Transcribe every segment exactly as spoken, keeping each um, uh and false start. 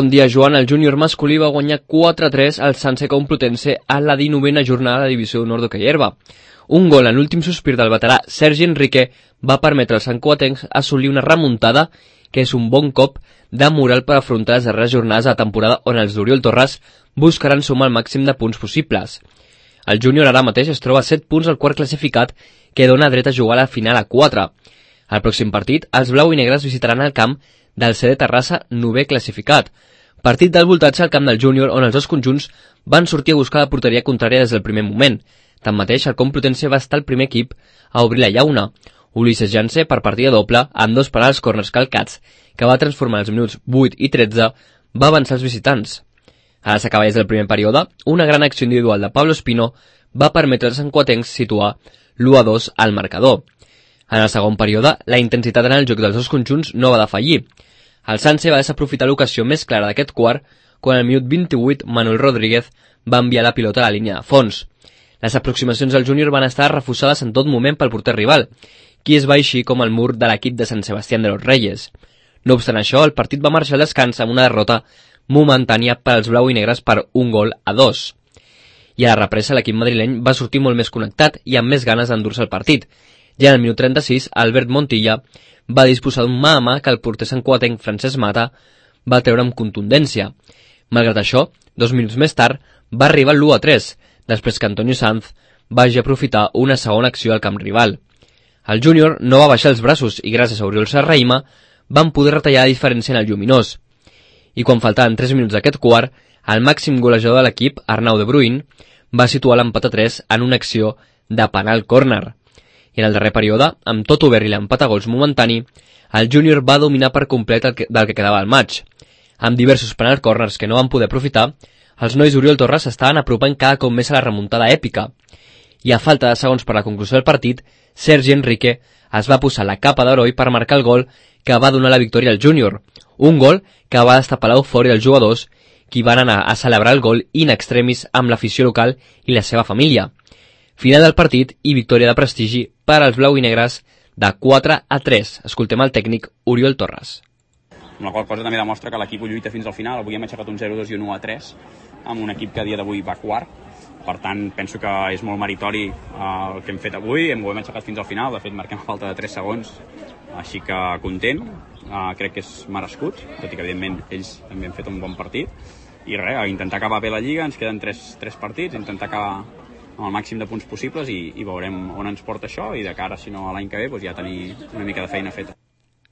Bon dia, Joan. El júnior masculí va guanyar quatre a tres al Sanse Complutense a la dinovena jornada de la divisió d'honor d'hoquei herba. Un gol en l'últim sospir del veterà Sergi Enrique va permetre als santcugatencs assolir una remuntada que és un bon cop de moral per afrontar les darreres jornades de la temporada on els d'Oriol Torres buscaran sumar el màxim de punts possibles. El júnior ara mateix es troba a set punts al quart classificat que dona dret a jugar a la final a quatre. Al pròxim partit, els blau i negres visitaran el camp del C D Terrassa, novè classificat. Partit del voltatge al camp del júnior on els dos conjunts van sortir a buscar la porteria contrària des del primer moment. Tanmateix, el Complutense va estar el primer equip a obrir la llauna. Ulisses Janse, per partida doble, amb dos penals corners calcats, que va transformar els minuts vuit i tretze, va avançar els visitants. A les acaballes del primer període, una gran acció individual de Pablo Espino va permetre als santcugatencs situar l'u a dos al marcador. En el segon període, la intensitat en el joc dels dos conjunts no va defallir. El Sanse va desaprofitar l'ocasió més clara d'aquest quart quan al minut vint-i-vuit Manuel Rodríguez va enviar la pilota a la línia de fons. Les aproximacions al júnior van estar refusades en tot moment pel porter rival, qui es va eixir com el mur de l'equip de Sant Sebastián de los Reyes. No obstant això, el partit va marxar al descans amb una derrota momentània per als blau i negres per un gol a dos. I a la represa l'equip madrileny va sortir molt més connectat i amb més ganes d'endur-se el partit. Ja en el minut trenta-sis, Albert Montilla va disposar d'un mà a mà que el porter santcugatenc Francesc Mata va treure amb contundència. Malgrat això, dos minuts més tard, va arribar l'u a tres, després que Antonio Sanz vagi aprofitar una segona acció al camp rival. El júnior no va baixar els braços i gràcies a Oriol Serrahima van poder retallar la diferència en el lluminós. I quan faltaven tres minuts d'aquest quart, el màxim golejador de l'equip, Arnau de Bruin, va situar l'empat a tres en una acció de penal córner. I en el darrer període, amb tot obert i l'empat a gols momentani, el júnior va dominar per complet el que, del que quedava al maig. Amb diversos penal corners que no van poder aprofitar, els nois d'Oriol Torres estaven apropant cada cop més a la remuntada èpica. I a falta de segons per la conclusió del partit, Sergi Enrique es va posar la capa d'heroi per marcar el gol que va donar la victòria al júnior. Un gol que va destapar l'eufòria dels jugadors, qui van anar a celebrar el gol in extremis amb l'afició local i la seva família. Final del partit i victòria de prestigi per als blau i negres de quatre a tres. Escoltem el tècnic Oriol Torres. Amb la qual cosa també demostra que l'equip ho lluita fins al final. Avui hem aixecat un zero a dos i un u a tres amb un equip que a dia d'avui va quart. Per tant, penso que és molt meritori el que hem fet avui. Hem, ho hem aixecat fins al final. De fet, marquem a falta de tres segons. Així que content. Uh, crec que és merescut, tot i que evidentment ells també han fet un bon partit. I res, intentar acabar bé la Lliga. Ens queden tres, tres partits. Intentar acabar amb el màxim de punts possibles i, i veurem on ens porta això i de cara, si no, a l'any que ve, doncs ja tenir una mica de feina feta.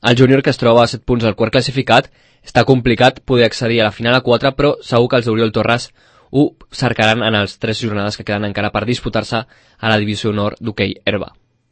El júnior, que es troba a set punts al quart classificat, està complicat poder accedir a la final a quatre, però segur que els d'Oriol Torres ho cercaran en les tres jornades que queden encara per disputar-se a la divisió honor d'hoquei herba.